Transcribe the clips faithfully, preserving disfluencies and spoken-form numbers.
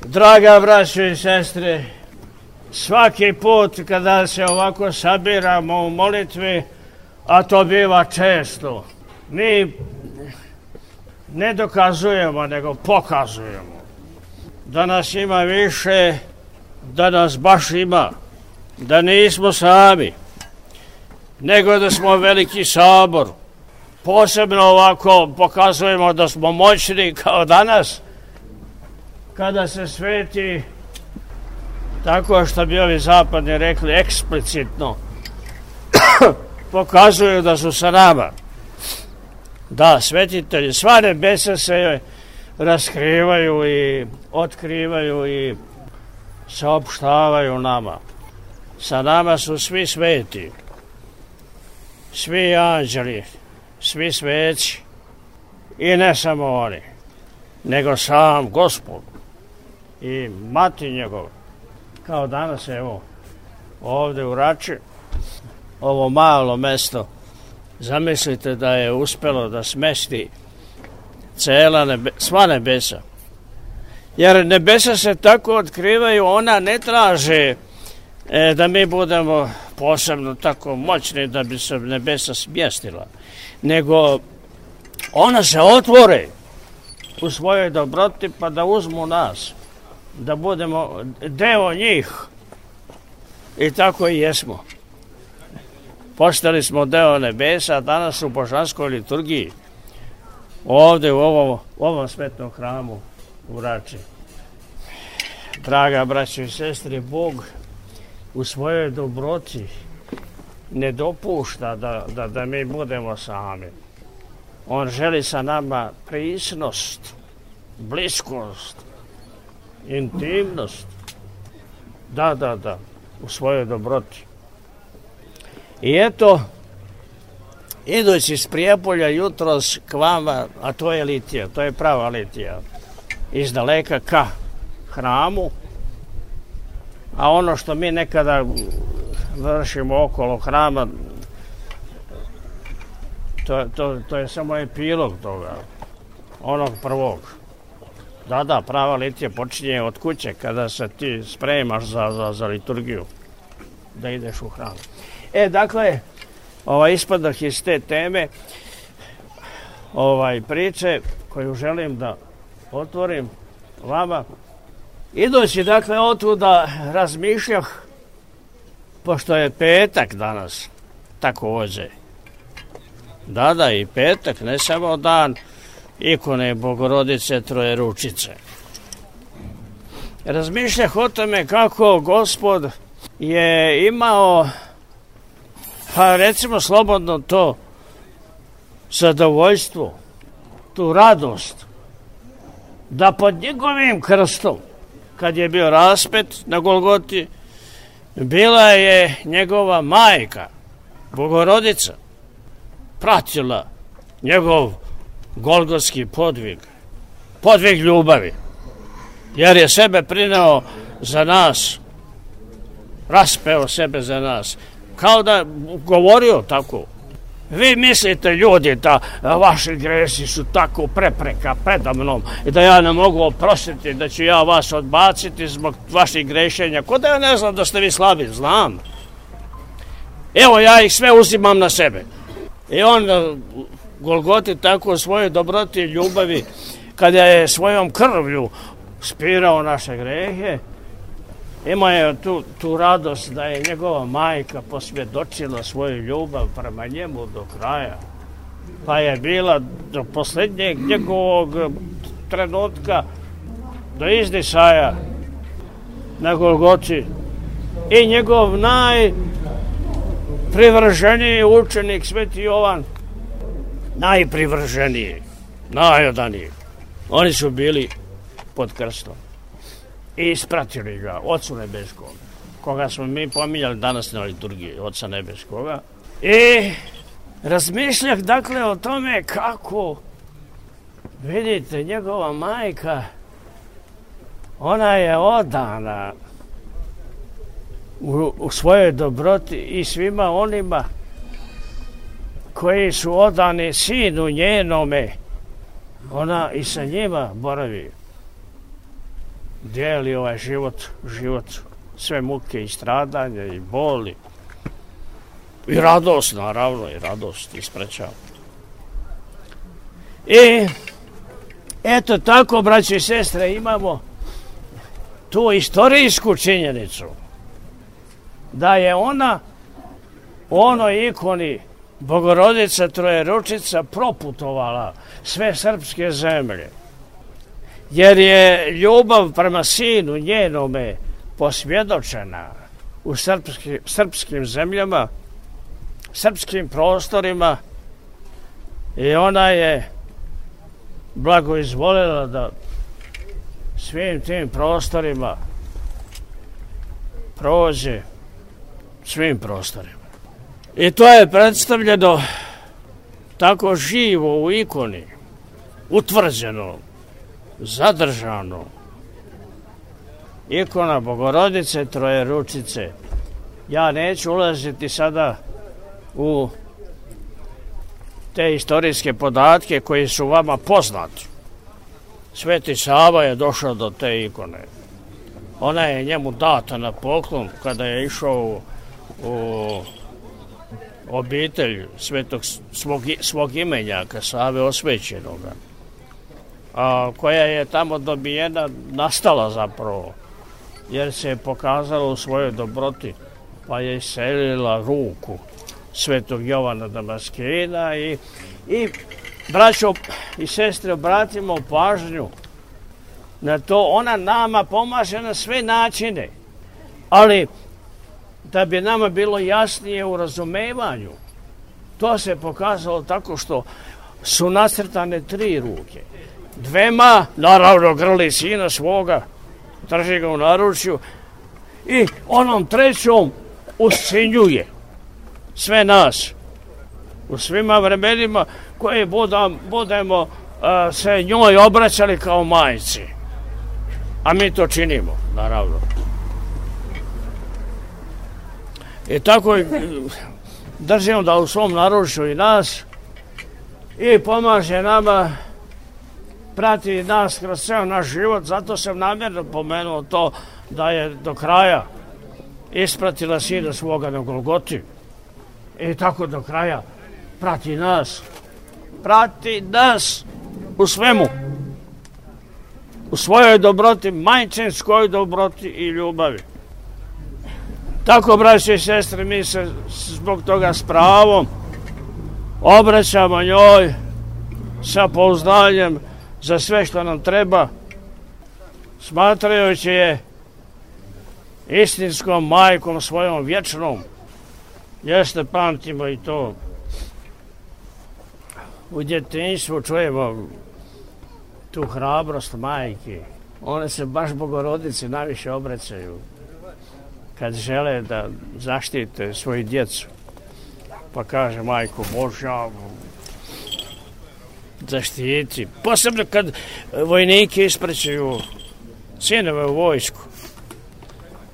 Draga braćo i sestre, svaki put kada se ovako sabiramo u molitvi, a to biva često, mi ne dokazujemo, nego pokazujemo da nas ima više, da nas baš ima, da nismo sami, nego da smo veliki sabor. Posebno ovako pokazujemo da smo moćni kao danas, kada se sveti tako što bi ovi zapadni rekli eksplicitno pokazuju da su sa nama. Da, svetitelji, sva nebesa se raskrivaju i otkrivaju i saopštavaju nama. Sa nama su svi sveti, svi anđeli, svi sveci i ne samo oni, nego sam Gospod i mati njegov. Kao danas, evo, ovde u Rači, ovo malo mesto, zamislite da je uspelo da smesti cela nebe, sva nebesa. Jer nebesa se tako otkrivaju, ona ne traže e, da mi budemo posebno tako moćni da bi se nebesa smjestila, nego ona se otvore u svojoj dobroti pa da uzmu nas, da budemo deo njih. I tako i jesmo. Postali smo deo nebesa, danas u božanskoj liturgiji, ovde u ovom, u ovom svetnom hramu u Rači. Draga braćo i sestre, Bog u svojoj dobroti ne dopušta da, da, da mi budemo sami. On želi sa nama prisnost, bliskost, intimnost. Da, da, da, u svojoj dobroti. I eto, idući iz Prijepolja jutros k vama, a to je litija, to je prava litija, iz daleka ka hramu, a ono što mi nekada vršimo okolo hrama, to, to, to je samo epilog toga, onog prvog. Da, da, prava litija počinje od kuće kada se ti spremaš za, za, za liturgiju, da ideš u hram. E, dakle, ovaj ispadah iz te teme, ovaj priče koju želim da otvorim vama, idući, dakle, otuda razmišljah, pošto je petak danas, takođe. Da, da, i petak, ne samo dan ikone Bogorodice Trojeručice. Razmišljah o tome kako Gospod je imao, pa recimo slobodno to, zadovoljstvo, tu radost, da pod njegovim krstom, kad je bio raspet na Golgoti, bila je njegova majka, Bogorodica, pratila njegov golgotski podvig, podvig ljubavi, jer je sebe prineo za nas, raspeo sebe za nas, kao da govorio tako. Vi mislite, ljudi, da vaši gresi su tako prepreka predamnom i da ja ne mogu oprostiti, da ću ja vas odbaciti zbog vaših grešenja. Ko da ja ne znam da ste vi slabi? Znam. Evo, ja ih sve uzimam na sebe. I on Golgoti tako u svojoj dobroti i ljubavi, kada je svojom krvlju spirao naše grehe, imao je tu, tu radost da je njegova majka posvjedočila svoju ljubav prema njemu do kraja. Pa je bila do posljednjeg njegovog trenutka, do izdisaja na Golgoti. I njegov najprivrženiji učenik, Sveti Jovan, najprivrženiji, najodaniji. Oni su bili pod krstom i ispratili ga, Ocu Nebeskog, koga smo mi pominjali danas na liturgiji, Oca Nebeskoga. I razmišljah, dakle, o tome kako, vidite, njegova majka, ona je odana u, u svojoj dobroti i svima onima koji su odani sinu njenome, ona i sa njima boravi. dijeli ovaj život, život, sve muke i stradanja i boli. I radost, naravno, i radost isprećava. I eto tako, braće i sestre, imamo tu istorijsku činjenicu da je ona u onoj ikoni Bogorodica Trojeručica proputovala sve srpske zemlje, jer je ljubav prema sinu njenome posvjedočena u srpski, srpskim zemljama, srpskim prostorima, i ona je blagoizvolila da svim tim prostorima prođe, svim prostorima. I to je predstavljeno tako živo u ikoni, utvrđeno, zadržano. Ikona Bogorodice Trojeručice. Ja neću ulaziti sada u te istorijske podatke koji su vama poznati. Sveti Sava je došao do te ikone. Ona je njemu data na poklon kada je išao u, u obitelj svetog svog, svog imenjaka, Save Osvećenoga, a koja je tamo dobijena, nastala zapravo, jer se je pokazala u svojoj dobroti, pa je iselila ruku svetog Jovana Damaskina. I, i braćo i sestre, obratimo pažnju na to. Ona nama pomaže na sve načine, ali da bi nama bilo jasnije u razumevanju, to se pokazalo tako što su nacrtane tri ruke. Dvema, naravno, grli sina svoga, drži ga u naručju, i onom trećom uscinjuje sve nas u svima vremenima koje budam, budemo uh, se njoj obraćali kao majci. A mi to činimo, naravno. I tako držimo da u svom naručju i nas, i pomaže nama, prati nas kroz ceo naš život. Zato sam namjerno pomenuo to da je do kraja ispratila sina svoga na Golgoti. I tako do kraja prati nas. Prati nas u svemu. U svojoj dobroti, majčinskoj dobroti i ljubavi. Tako, braće i sestre, mi se zbog toga s pravom obraćamo njoj sa pouzdanjem za sve što nam treba, smatrajući je istinskom majkom svojom vječnom. Jeste, pamtimo i to. U djetinjstvu čujemo tu hrabrost majke. One se baš Bogorodici najviše obraćaju kad žele da zaštite svoju djecu. Pa kaže, majko Božja, zaštiti. Posebno kad vojnike ispraćaju sinove u vojsku,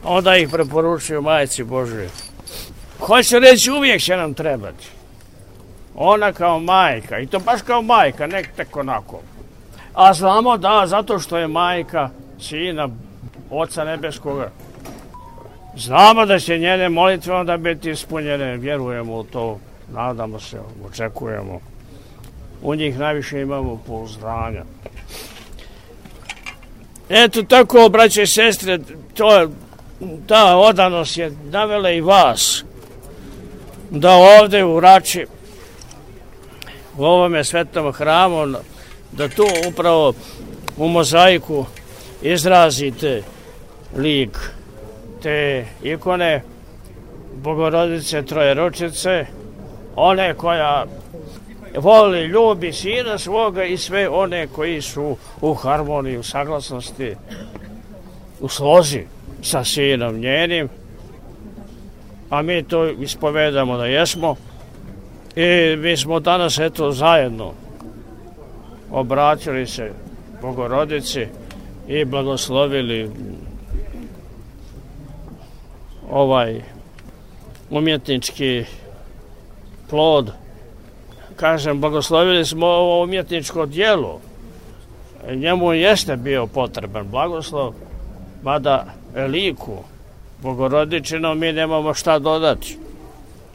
onda ih preporučuju majci Božje. Hoće reći, uvijek će nam trebati. Ona kao majka, i to baš kao majka, ne tek onako. A znamo da, zato što je majka sina Oca Nebeskoga, znamo da će njene molitve onda biti ispunjene, vjerujemo u to, nadamo se, očekujemo. U njih najviše imamo pouzdanja. Eto tako, braće i sestre, to, ta odanost je navela i vas da ovde u Rači, u ovome svetom hramu, da tu upravo u mozaiku izrazite lik te ikone Bogorodice Trojeručice, one koja voli, ljubi sina svoga i sve one koji su u harmoniji, u saglasnosti, u slozi sa sinom njenim. A mi to ispovedamo da jesmo. I mi smo danas eto zajedno obratili se Bogorodici i blagoslovili ovaj umjetnički plod. Kažem, blagoslovili smo ovo umjetničko djelo. Njemu jeste bio potreban blagoslov, mada liku Bogorodičinom mi nemamo šta dodati,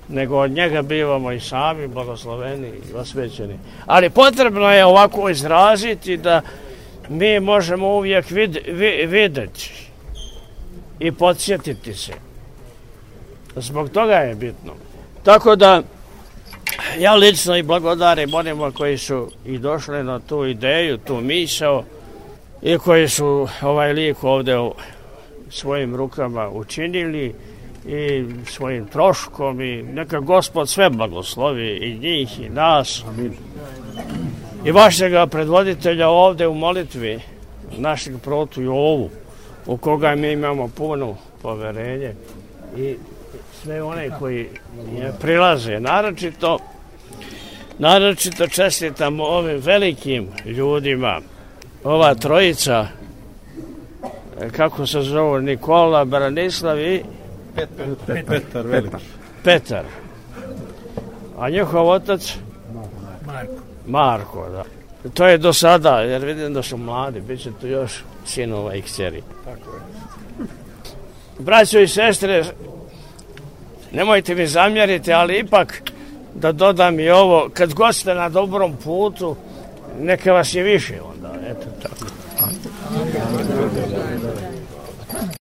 nego od njega bivamo i sami blagosloveni i osvećeni. Ali potrebno je ovako izraziti da mi možemo uvijek vid, vid, videti i podsjetiti se. Zbog toga je bitno. Tako da ja lično i blagodarim onima koji su i došli na tu ideju, tu misao i koji su ovaj lik ovdje u svojim rukama učinili i svojim troškom i neka Gospod sve blagoslovi i njih i nas. Amin. I vašega predvoditelja ovdje u molitvi, našeg protu Jovu, u koga mi imamo puno poverenje i sve one koji je prilaze. Naročito, naročito čestitam ovim velikim ljudima, ova trojica, kako se zove, Nikola, Branislav i Petar, Petar, Petar. Petar. A njihov otac? Marko. Marko, da. To je do sada, jer vidim da su mladi, bit će tu još sinova i kćeri. Tako je. Braćo i sestre, nemojte mi zamjeriti, ali ipak da dodam i ovo, kad god ste na dobrom putu, neka vas je više onda, eto tako.